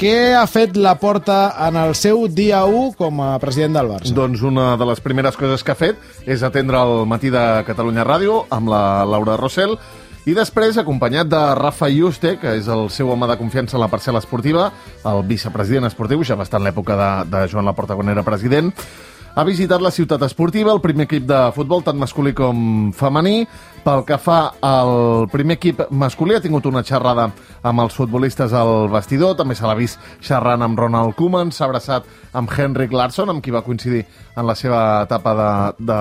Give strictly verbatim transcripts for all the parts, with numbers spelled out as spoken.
què ha fet Laporta en el seu dia u com a president del Barça? Doncs una de les primeres coses que ha fet és atendre el Matí de Catalunya Ràdio amb la Laura Rossell i després, acompanyat de Rafa Yuste, que és el seu home de confiança en la parcel·la esportiva, el vicepresident esportiu, ja va estar en l'època de, de Joan Laporta quan era president, ha visitat la ciutat esportiva, el primer equip de futbol, tant masculí com femení. Pel que fa al primer equip masculí, ha tingut una xerrada amb els futbolistes al vestidor, també se l'ha vist xerrant amb Ronald Koeman, s'ha abraçat amb Henrik Larsson, amb qui va coincidir en la seva etapa de, de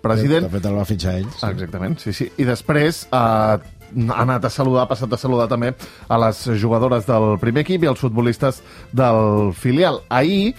president. De fet, el va fitxar ell. Sí. Exactament, sí, sí. I després eh, ha anat a saludar, ha passat a saludar també a les jugadores del primer equip i als futbolistes del filial. Ahir,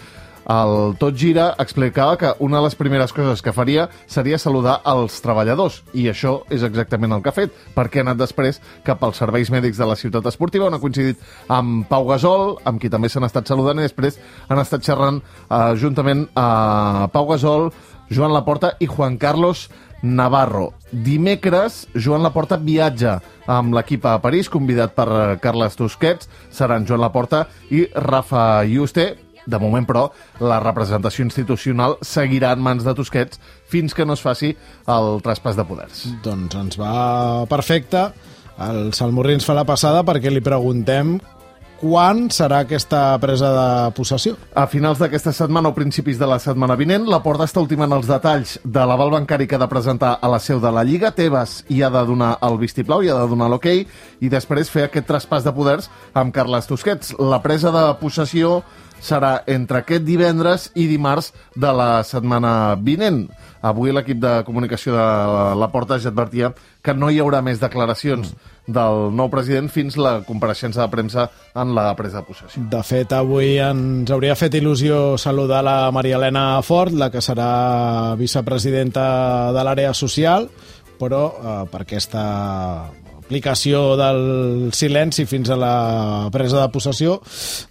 el Tot Gira explicava que una de les primeres coses que faria seria saludar els treballadors, i això és exactament el que ha fet, perquè ha anat després cap als serveis mèdics de la ciutat esportiva, on ha coincidit amb Pau Gasol, amb qui també s'han estat saludant, i després han estat xerrant eh, juntament a Pau Gasol, Joan Laporta i Juan Carlos Navarro. Dimecres, Joan Laporta viatja amb l'equip a París, convidat per Carles Tusquets, seran Joan Laporta i Rafa Yuste. De moment, però, la representació institucional seguirà en mans de Tusquets fins que no es faci el traspàs de poders. Doncs ens va perfecte. El Salmurri ens fa la passada perquè li preguntem quan serà aquesta presa de possessió. A finals d'aquesta setmana o principis de la setmana vinent, Laporta està ultimant els detalls de l'aval bancari que ha de presentar a la seu de la Lliga. Tebas hi ha de donar el vistiplau, hi ha de donar l'ok, i després fer aquest traspàs de poders amb Carles Tusquets. La presa de possessió serà entre aquest divendres i dimarts de la setmana vinent. Avui l'equip de comunicació de Laporta ja advertia que no hi haurà més declaracions del nou president fins la compareixença de premsa en la presa de possessió. De fet, avui ens hauria fet il·lusió saludar la Maria Elena Fort, la que serà vicepresidenta de l'àrea social, però eh, per aquesta aplicació del silenci fins a la presa de possessió,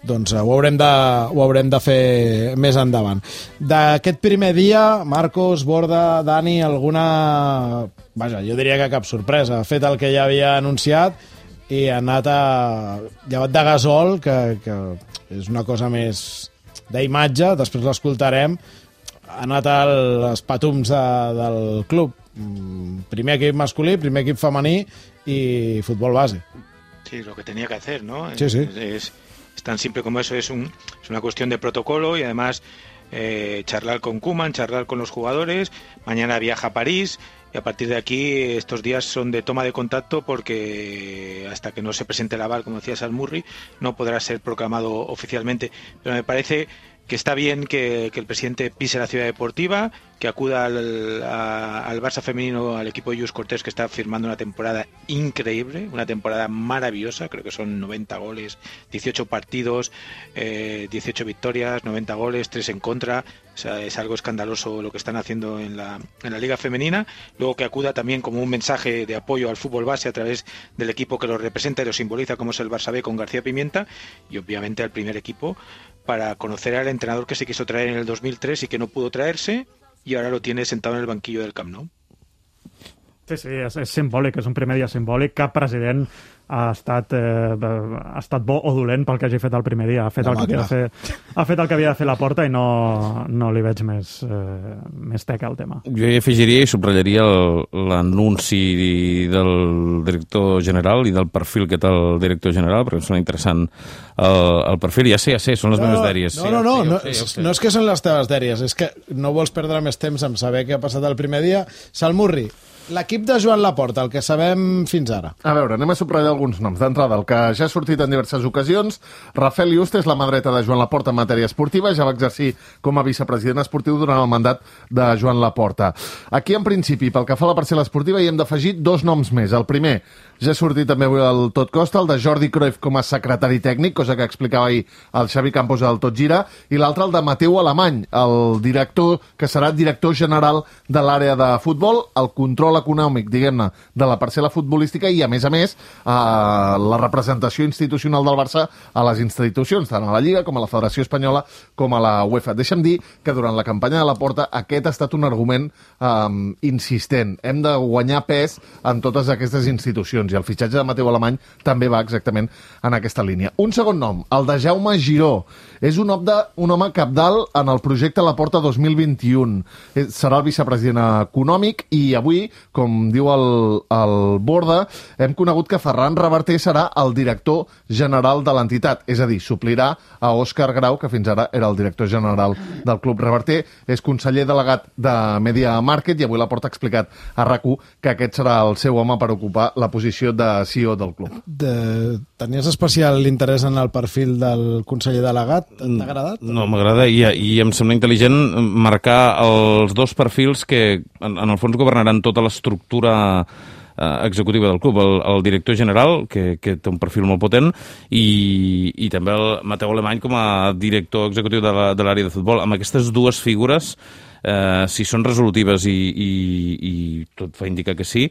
doncs ho haurem de, ho haurem de fer més endavant. D'aquest primer dia, Marcos, Borda, Dani, alguna... Vaja, jo diria que cap sorpresa. Ha fet el que ja havia anunciat i ha anat a... llevat de Gasol, que, que és una cosa més d'imatge, després l'escoltarem, ha anat als patums de, del club. Primer equip masculí, primer equip femení y fútbol base. Sí, lo que tenía que hacer, ¿no? Sí, sí. Es, es, es tan simple como eso, es, un, es una cuestión de protocolo y además eh, charlar con Koeman, charlar con los jugadores. Mañana viaja a París y a partir de aquí estos días son de toma de contacto porque hasta que no se presente el aval, como decía Salmurri, no podrá ser proclamado oficialmente. Pero me parece que está bien que, que el presidente pise la ciudad deportiva, que acuda al, a, al Barça femenino, al equipo de Lluís Cortés, que está firmando una temporada increíble, una temporada maravillosa, creo que son noventa goles, dieciocho partidos, eh, dieciocho victorias, noventa goles, tres en contra. O sea, es algo escandaloso lo que están haciendo en la, en la Liga Femenina. Luego que acuda también como un mensaje de apoyo al fútbol base a través del equipo que lo representa y lo simboliza, como es el Barça B con García Pimienta, y obviamente al primer equipo, para conocer al entrenador que se quiso traer en el dos mil tres y que no pudo traerse, y ahora lo tiene sentado en el banquillo del Camp Nou. Sí, sí, és, és simbòlic, és un primer dia simbòlic. Cap president ha estat, eh, ha estat bo o dolent pel que hagi fet el primer dia. Ha fet, el que, havia de fer, ha fet el que havia de fer Laporta i no, no li veig més, eh, més teca al tema. Jo hi afegiria i subratllaria l'anunci del director general i del perfil que té el director general, perquè em sona interessant el, el perfil. Ja sé, ja sé, són les no, meves dèries. No, no, no, sí, no, sé, no, sé. no és que són les teves dèries, és que no vols perdre més temps en saber què ha passat el primer dia. Salmurri, l'equip de Joan Laporta, el que sabem fins ara. A veure, anem a subratllar alguns noms. D'entrada, el que ja ha sortit en diverses ocasions, Rafael Yuste és la mà dreta de Joan Laporta en matèria esportiva, ja va exercir com a vicepresident esportiu durant el mandat de Joan Laporta. Aquí, en principi, pel que fa a la parcel·la esportiva, hi hem d'afegir dos noms més. El primer, ja ha sortit també avui el Tot Costa, el de Jordi Cruyff com a secretari tècnic, cosa que explicava ahir el Xavi Campos del Tot Gira, i l'altre, el de Mateu Alemany, el director que serà director general de l'àrea de futbol, el control econòmic, diguem-ne, de la parcel·la futbolística i, a més a més, eh, la representació institucional del Barça a les institucions, tant a la Lliga com a la Federació Espanyola com a la UEFA. Deixa'm dir que durant la campanya de Laporta aquest ha estat un argument eh, insistent. Hem de guanyar pes en totes aquestes institucions. I i el fitxatge de Mateu Alemany també va exactament en aquesta línia. Un segon nom, el de Jaume Giró. És un home, de, un home capdalt en el projecte Laporta dos mil vint-i-u. Serà el vicepresident econòmic i avui, com diu el, el Borda, hem conegut que Ferran Reverter serà el director general de l'entitat, és a dir, suplirà a Òscar Grau, que fins ara era el director general del club. Reverter és conseller delegat de Media Market i avui Laporta ha explicat a RAC u que aquest serà el seu home per ocupar la posició de C E O del club. De... Tenies especial interès en el perfil del conseller delegat? T'ha agradat? No, m'agrada i, i em sembla intel·ligent marcar els dos perfils que en, en el fons governaran tota l'estructura eh, executiva del club, el, el director general, que, que té un perfil molt potent, i, i també el Mateu Alemany com a director executiu de l'àrea de futbol. Amb aquestes dues figures, eh, si són resolutives i, i, i tot fa indicar que sí,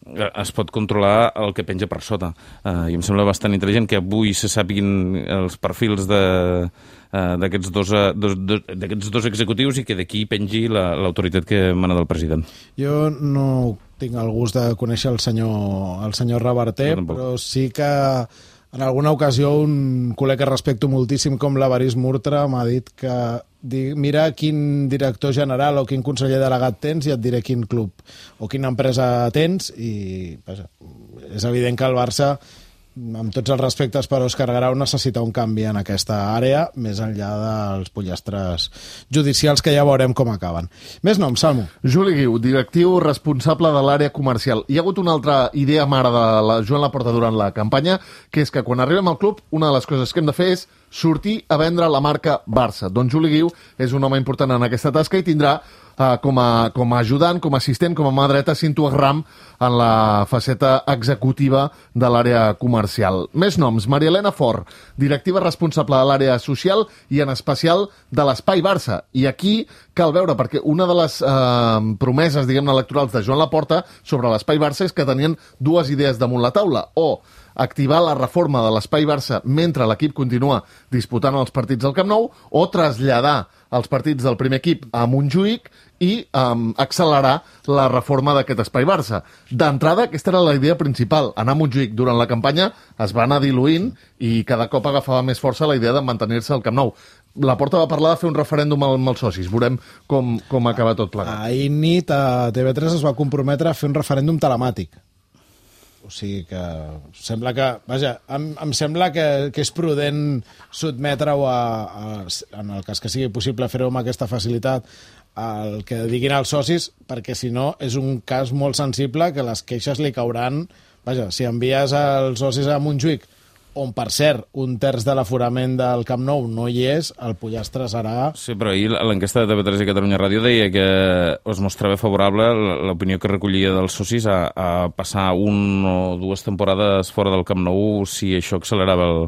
es pot controlar el que penja per sota. Uh, I em sembla bastant intel·ligent que avui se sàpiguin els perfils de, uh, d'aquests dos, uh, dos, dos, d'aquests dos executius i que d'aquí pengi la, l'autoritat que emana del president. Jo no tinc el gust de conèixer el senyor, el senyor Reverter, però sí que en alguna ocasió un col·lega que respecto moltíssim com l'Evarist Murtra m'ha dit que mira quin director general o quin conseller delegat tens i et diré quin club o quina empresa tens, i vaja, és evident que el Barça, amb tots els respectes per Òscar Grau, necessita un canvi en aquesta àrea, més enllà dels pollastres judicials que ja veurem com acaben. Més noms, Salmo. Juli Guiu, directiu responsable de l'àrea comercial. Hi ha hagut una altra idea mare de la Joan Laporta durant la campanya, que és que quan arribem al club, una de les coses que hem de fer és sortir a vendre la marca Barça. Doncs Juli Guiu és un home important en aquesta tasca i tindrà uh, com, a, com a ajudant, com a assistent, com a mà dreta, Cinto Agram en la faceta executiva de l'àrea comercial. Més noms, Maria Elena Fort, directiva responsable de l'àrea social i en especial de l'Espai Barça. I aquí cal veure, perquè una de les eh, promeses, diguem-ne, electorals de Joan Laporta sobre l'Espai Barça és que tenien dues idees damunt la taula, o activar la reforma de l'Espai Barça mentre l'equip continua disputant els partits del Camp Nou, o traslladar els partits del primer equip a Montjuïc i um, accelerar la reforma d'aquest Espai Barça. D'entrada, aquesta era la idea principal. Anar a Montjuïc durant la campanya es va anar diluint i cada cop agafava més força la idea de mantenir-se al Camp Nou. Laporta va parlar de fer un referèndum amb els socis. Veurem com, com acaba tot plegat. Ahir nit a T V tres es va comprometre a fer un referèndum telemàtic. O sigui que sembla que, vaja, em, em sembla que, que és prudent sotmetre-ho a, a, en el cas que sigui possible fer-ho amb aquesta facilitat, el que diguin els socis, perquè si no és un cas molt sensible que les queixes li cauran. Vaja, si envies els socis a Montjuïc, on, per cert, un terç de l'aforament del Camp Nou no hi és, el pollastre serà... Sí, però ahir l'enquesta de T V tres i Catalunya Ràdio deia que es mostrava favorable l'opinió que recollia dels socis a, a passar un o dues temporades fora del Camp Nou si això accelerava el,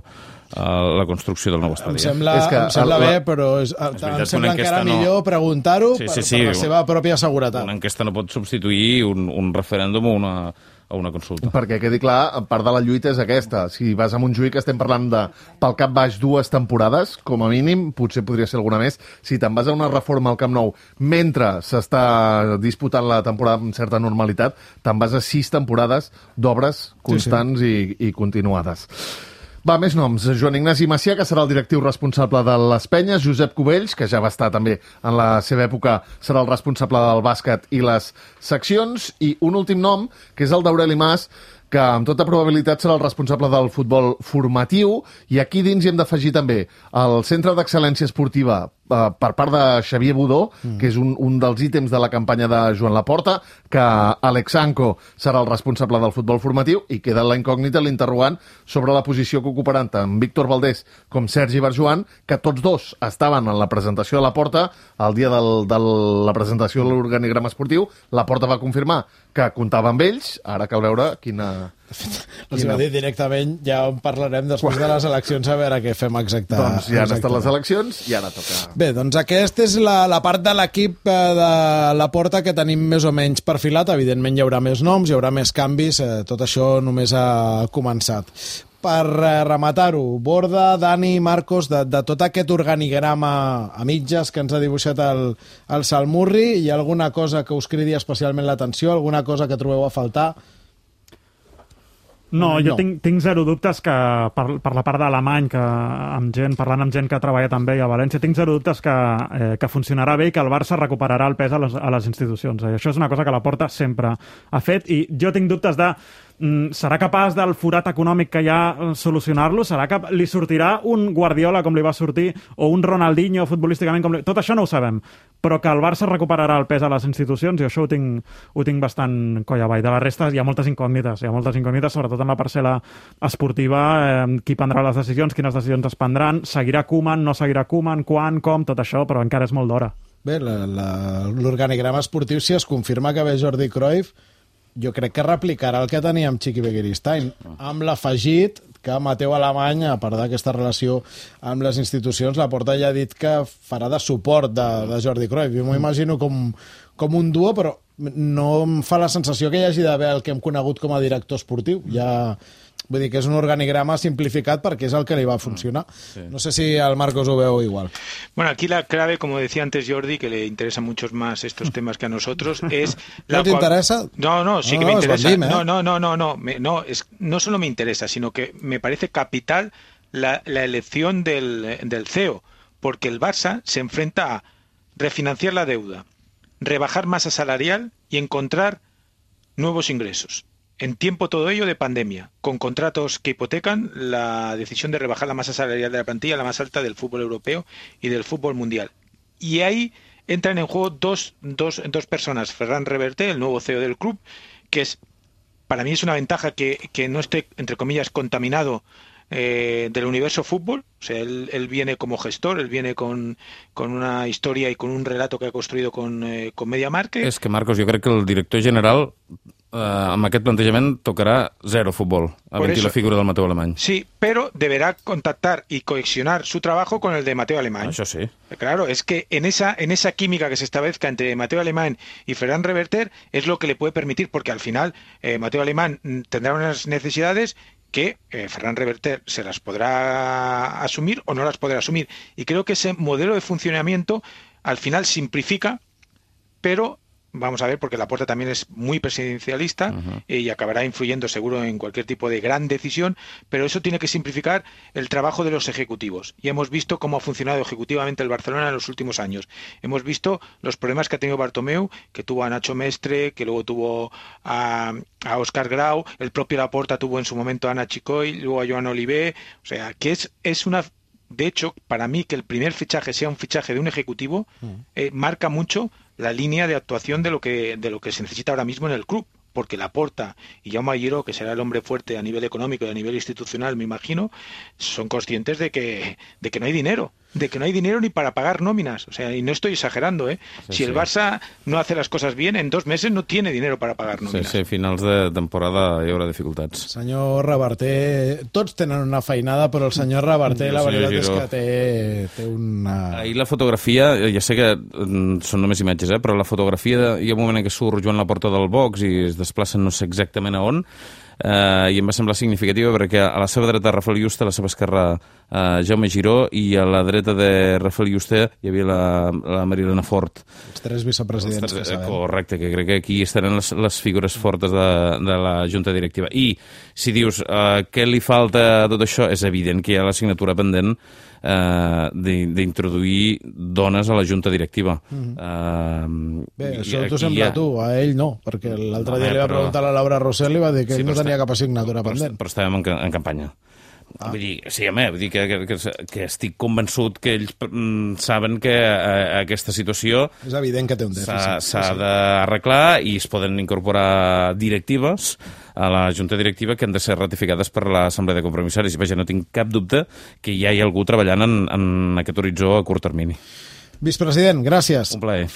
la construcció del nou estadi. Em sembla, és que, em sembla la, bé, però és, és em sembla encara no... millor preguntar-ho sí, sí, sí, per, per la seva pròpia seguretat. Una enquesta no pot substituir un, un referèndum o una... a una consulta. Perquè quedi clar, part de la lluita és aquesta. Si vas a Montjuïc estem parlant de, pel cap baix, dues temporades, com a mínim, potser podria ser alguna més. Si te'n vas a una reforma al Camp Nou mentre s'està disputant la temporada amb certa normalitat, te'n vas a sis temporades d'obres constants sí, sí. I, i continuades. Va, més noms. Joan Ignasi Macià, que serà el directiu responsable de les Penyes. Josep Cubells, que ja va estar també en la seva època, serà el responsable del bàsquet i les seccions. I un últim nom, que és el d'Aureli Mas, que amb tota probabilitat serà el responsable del futbol formatiu. I aquí dins hi hem d'afegir també el Centre d'Excel·lència Esportiva Uh, per part de Xavier Budó, mm. que és un, un dels ítems de la campanya de Joan Laporta, que Alex Anco serà el responsable del futbol formatiu, i queda la incògnita, l'interrogant sobre la posició que ocuparan tant Víctor Valdés com Sergi Barjuan, que tots dos estaven en la presentació de Laporta el dia del, de la presentació de l'organigrama esportiu. Laporta va confirmar que comptava amb ells, ara cal veure quina... Els quina... va dir directament, ja en parlarem després de les eleccions, a veure què fem exacte. Doncs ja han estat les eleccions i ara toca... Bé, doncs aquesta és la, la part de l'equip de Laporta que tenim més o menys perfilat. Evidentment hi haurà més noms, hi haurà més canvis, eh, tot això només ha començat. Per eh, rematar-ho, Borda, Dani, Marcos, de, de tot aquest organigrama a mitges que ens ha dibuixat el, el Salmurri, hi ha alguna cosa que us cridi especialment l'atenció, alguna cosa que trobeu a faltar? No, jo No. tinc, tinc zero dubtes que per, per la part d'Alemany, que amb gent, parlant amb gent que treballa també a València, tinc zero dubtes que, eh, que funcionarà bé i que el Barça recuperarà el pes a les, a les institucions. I això és una cosa que la Porta sempre ha fet, i jo tinc dubtes de mm, serà capaç del forat econòmic que hi ha eh, solucionar-lo? Serà que li sortirà un Guardiola com li va sortir, o un Ronaldinho futbolísticament com li... Tot això no ho sabem, però que el Barça recuperarà el pes a les institucions, i això ho tinc, ho tinc bastant coll avall. De la resta hi ha moltes incògnites, hi ha moltes incògnites, sobretot en la parcel·la esportiva, eh, qui prendrà les decisions, quines decisions es prendran, seguirà Koeman, no seguirà Koeman, quan, com, tot això, però encara és molt d'hora. Bé, la- la- l'organigrama esportiu, si es confirma que ve Jordi Cruyff, jo crec que replicarà el que tenia amb Chiqui Begiristain, amb l'afegit que Mateu Alemany, a part d'aquesta relació amb les institucions, la Porta ja ha dit que farà de suport de, de Jordi Cruyff. Jo m'ho imagino com, com un duo, però no em fa la sensació que hi hagi d'haver el que hem conegut com a director esportiu. Ja, vull dir que és un organigrama simplificat perquè és el que li va funcionar. Sí. No sé si el Marcos ho veu igual. Bueno, aquí la clave, como decía antes Jordi, que le interesan muchos más estos temas que a nosotros, es... La ¿No te cual... interesa? No, no, sí No, que no, me es interesa. Bandim, ¿eh? No, no, no, no, no, me- no, es, no solo me interesa, sino que me parece capital la, la elección del, del C E O, porque el Barça se enfrenta a refinanciar la deuda, rebajar masa salarial y encontrar nuevos ingresos. En tiempo todo ello de pandemia, con contratos que hipotecan la decisión de rebajar la masa salarial de la plantilla, la más alta del fútbol europeo y del fútbol mundial. Y ahí entran en juego dos, dos, dos personas. Ferran Reverte, el nuevo C E O del club, que es, para mí es una ventaja que, que no esté, entre comillas, contaminado eh, del universo fútbol. O sea, él, él viene como gestor, él viene con, con una historia y con un relato que ha construido con, eh, con MediaMarkt. És que, Marcos, jo crec que el director general eh, amb aquest plantejament tocarà zero futbol, a Por mentir eso. la figura del Mateu Alemany. Sí, pero deberá contactar y coexionar su trabajo con el de Mateo Alemany. Això sí. Claro, es que en esa, en esa química que se establezca entre Mateo Alemán y Ferran Reverter es lo que le puede permitir, porque al final eh, Mateo Alemán mm, tendrá unas necesidades que eh, Ferran Reverter se las podrá asumir o no las podrá asumir. Y creo que ese modelo de funcionamiento al final simplifica, pero vamos a ver, porque Laporta también es muy presidencialista uh-huh. eh, y acabará influyendo seguro en cualquier tipo de gran decisión, pero eso tiene que simplificar el trabajo de los ejecutivos. Y hemos visto cómo ha funcionado ejecutivamente el Barcelona en los últimos años. Hemos visto los problemas que ha tenido Bartomeu, que tuvo a Nacho Mestre, que luego tuvo a, a Óscar Grau, el propio Laporta tuvo en su momento a Ana Chicoy, luego a Joan Olivé, o sea, que es, es una... De hecho, para mí que el primer fichaje sea un fichaje de un ejecutivo eh, marca mucho la línea de actuación de lo que de lo que se necesita ahora mismo en el club, porque Laporta y Jaume Giró, que será el hombre fuerte a nivel económico y a nivel institucional, me imagino, son conscientes de que de que no hay dinero, de que no hay dinero ni para pagar nóminas, o sea, y no estoy exagerando, ¿eh? Sí, si el sí. Barça no hace las cosas bien, en dos meses no tiene dinero para pagar Sí, nóminas. sí, a finals de temporada hi haurà dificultats. Senyor Reverter, tots tenen una feinada, però el senyor Reverter, la El senyor veritat és Giró. que té, té una... Ahir la fotografia, ja sé que mm, són només imatges, eh, però la fotografia, de, hi ha un moment en què surt Joan Laporta del box i es desplacen no sé exactament a on, eh, i em va semblar significativa perquè a la seva dreta Rafael Yuste, a la seva esquerra eh, Jaume Giró, i a la dreta de Rafael Yuste hi havia la, la Marilena Fort. Els tres vicepresidents que sabem. Correcte, que crec que aquí estaran les, les figures fortes de, de la Junta Directiva. I si dius eh, què li falta a tot això, és evident que hi ha la signatura pendent eh, d'introduir dones a la Junta Directiva. Mm-hmm. eh, Bé, i- això t'ho i sembla ha- tu, a ell no, perquè l'altre No, dia li va però- preguntar a la Laura Rossell i va dir que Sí, ell no però tenia està- cap assignatura però, pendent. però estàvem en, ca- en campanya. Ah. Vull dir, sí, home, vull dir que, que, que, que estic convençut que ells mm, saben que eh, aquesta situació És evident que té un s'ha dèficit. s'ha sí. d'arreglar i es poden incorporar directives a la Junta Directiva que han de ser ratificades per l'Assemblea de Compromissaris. I vaja, no tinc cap dubte que ja hi ha algú treballant en, en aquest horitzó a curt termini. Vicepresident, gràcies. Un plaer.